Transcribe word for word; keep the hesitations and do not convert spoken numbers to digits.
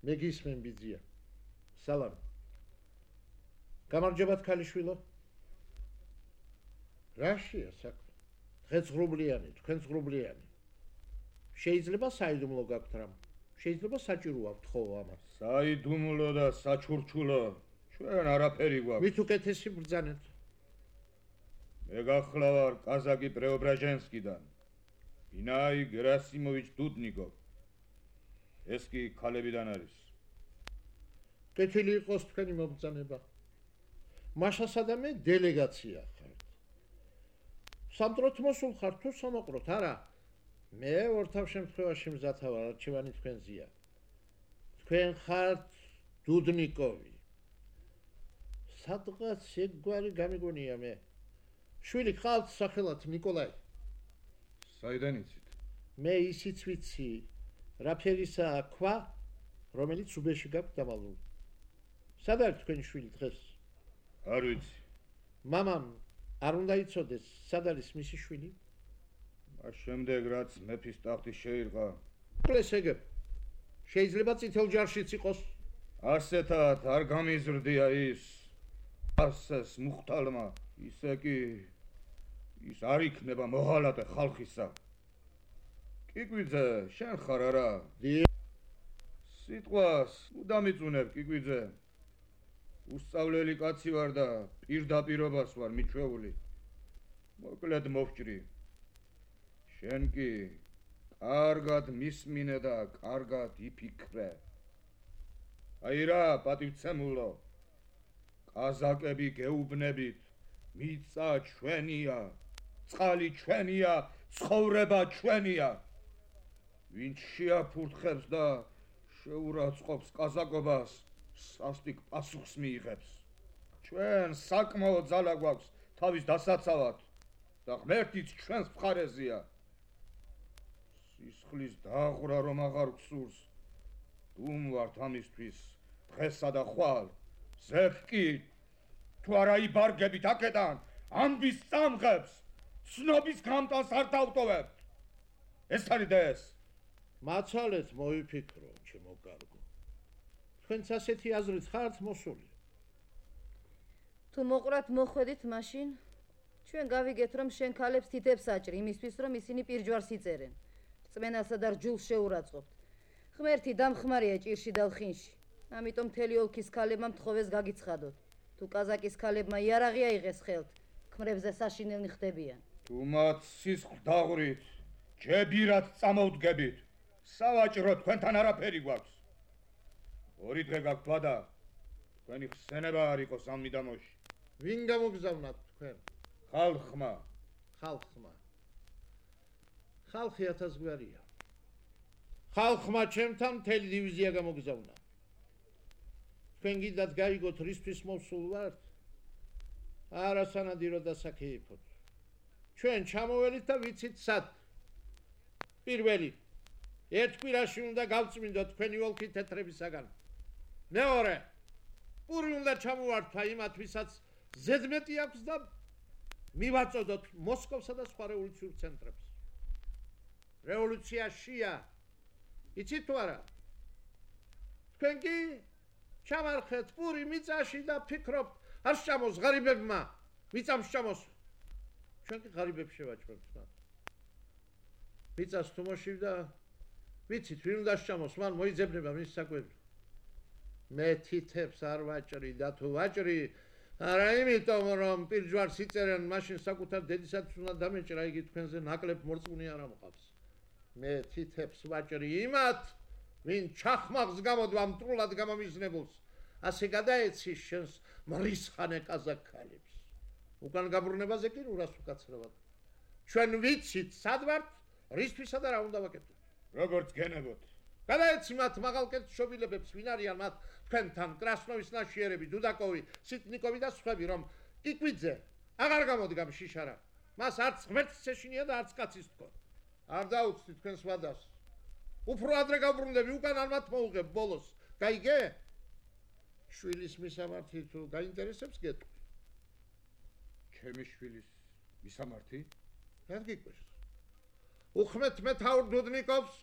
მე გისმენ ბიძია. სალამი. გამარჯობათ ქალიშვილო. რაშია საქმე? დღეს ღრუბლიანი, თქვენ ღრუბლიანი. შეიძლება საიდუმლო გაქვთ რამ? შეიძლება საჭირო აქვთ ხო ამას? საიდუმლო და საჩურჩულო ჩვენ არაფერი გვაქვს. მით უკეთესი ბრძანეთ. მე გახლავარ კაზაკი პრეობრაჟენსკიდან. ინაი გერასიმოვიჩ დუდნიკოვ. ეს კი ქალებიდან არის. კეთილი იყოს თქვენი მობრძანება. მაშასა და მე დელეგაცია ხართ. სამტროთ მოსულ ხართ თუ სამოყროთ, არა? მე ორთავ შემთხვევაში მზათა ვარ, არჩევანი თქვენზეა. თქვენ ხართ დუდნიკოვი. სადღაც ეგგვარი გამიგონია მე. შვილი ხალთ სახელად ნიკოლაი. საიდან იცით? მე ისიც ვიცი, რა ფერისაა ქვა, რომელიც უბეში გაქვთ დამალული. სად არის თქვენი შვილი დღეს? არ ვიცი. მამამ არ უნდა იცოდეს, სად არის მისი შვილი? მას შემდეგ რაც მეფის ტახტი შეირყა. კლეს ეგებ. შეიძლება წითელ ჯარშიც იყოს. ასეთად არ გამიზრდია ის. ასეს მუხტალმა, ისე კი ის არ იქნება მოღალატე ხალხისა. კიკვიძე, შენ ხარ არა? დი. სიტყვას უდამიწუნებ კიკვიძე. უსწავლელი კაცი ვარ და პირდაპირობას ვარ მიჩვეული. მოკლედ მოვჭრი. შენ კი კარგად მისმინე და კარგად იფიქრე. აი რა, პატივცემულო. კაზაკები გეუბნებით, მიწა ჩვენია, წყალი ჩვენია, ცხოვრება ჩვენია. ვინც შეაფურთხებს და შეურაცხყოფს კაზაკობას, სასტიკ პასუხს მიიღებს. ჩვენ საკმაო ძალა გვაქვს თავის დასაცავად და ღმერთიც ჩვენს მხარეზეა. სისხლის დაღვრა რომ აღარ გსურს, დუმ ვართ ამისთვის დღესა და ხვალ. ზეფკი თუ არა იბარგებით აქედან, ამბის წამღებს, ცნობის გამტანს არ დავტოვებთ. ეს არის და ეს. მაცალეთ მოიფიქრო, ჩემო კარგო. თქვენც ასეთი აზრით ხართ მოსული. თუ მოყრათ მოხვედით მაშინ, ჩვენ გავიგეთ რომ შენ ქალებს თითებს აჭრი იმისთვის რომ ისინი პირჯვარს იწერენ. რწმენასა და რჯულს შეურაცხყოფთ. ღმერთი დამხმარია ჭირში და ლხინში. ამიტომ მთელი ოლქის ქალებმა მთხოვეს გაგიცხადოთ. თუ კაზაკის ქალებმა იარაღი აიღეს ხელთ, ქმრებზე საშინელნი ხდებიან. თუ მათ სისხლ დაღვრით, ჯებირად წამოვდგებით, სავაჭრო თქვენთან არაფერი გვაქვს. ორი დღე გაქვთ ბადა, თქვენი ხსენება არ იყოს ამ მიდამოში. ვინ გამოგზავნათ თქვენ? ხალხმა. ხალხმა. ხალხი ათასგვარია. ხალხმა ჩემთან მთელი დივიზია გამოგზავნა. თქვენ გიდათ გაიგოთ რისთვის მოსულ ვართ? არა სანადირო დასაქეიფოთ. ჩვენ ჩამოველით და ვიცით სად. პირველი, ერთ კვირაში უნდა გავწმინდოთ თქვენი ოლქი თეთრებისაგან. მეორე, პური უნდა ჩამოვართვა იმათ, ვისაც ზედმეტი აქვს და მივაწოდოთ მოსკოვსა და სხვა რევოლუციურ ცენტრებს. რევოლუცია შია. იცით თუ არა? თქვენ კი ჩამარხეთ პური მიწაში და ფიქრობთ, არ შეამოს ღარიბებმა, მიწამ შეამოს. ჩვენ კი ღარიბებს შევაჭრებთ მათ. მიწას თუ მოშივდა, ვიცით, ვინ უნდა შეამოს, მან მოიძებნება მის საკვები. მე თითებს არ ვაჭრი და თუ ვაჭრი, არა იმიტომ რომ პირჯვარს იწერენ, მაშინ საკუთარ დედისათვის უნდა დამეჭრა, იგი თქვენზე ნაკლებ მორწმუნე არ ამყავს. მე თითებს ვაჭრი იმათ, ვინ ჩახმაღს გამოდვა მტრულად გამომიზნებულს, ასე გადაეცის შენს მრისხანე კაზაკალებს. უკან გაბრუნებაზე კი რას უკაცრავად. ჩვენ ვიცით, სად ვართ, რისთვისა და რა უნდა ვაკეთოთ. როგორც გენებოთ. გადაეცი მათ მაღალკეთ შობილებებს, ვინ არიან მათ თქვენთან, კრასნოვის ნაშიერები, დუდაკოვი, სიტნიკოვი და სხვები, რომ კიკვიძე აღარ გამოდგა შიშარა. მას არც ღმერთს ეშინია და არც კაცის თქო. არ დაუცდით თქვენს ვადას. უფრო ადრე გავბრუნდები, უკან არ მათ მოუღებ ბოლოს. გაიგე? შვილის მისამართი თუ გაინტერესებს გეტყვი. ჩემი შვილის მისამართი? არ გიკვირს. უხმეთ მეთაურ დუდნიკოვს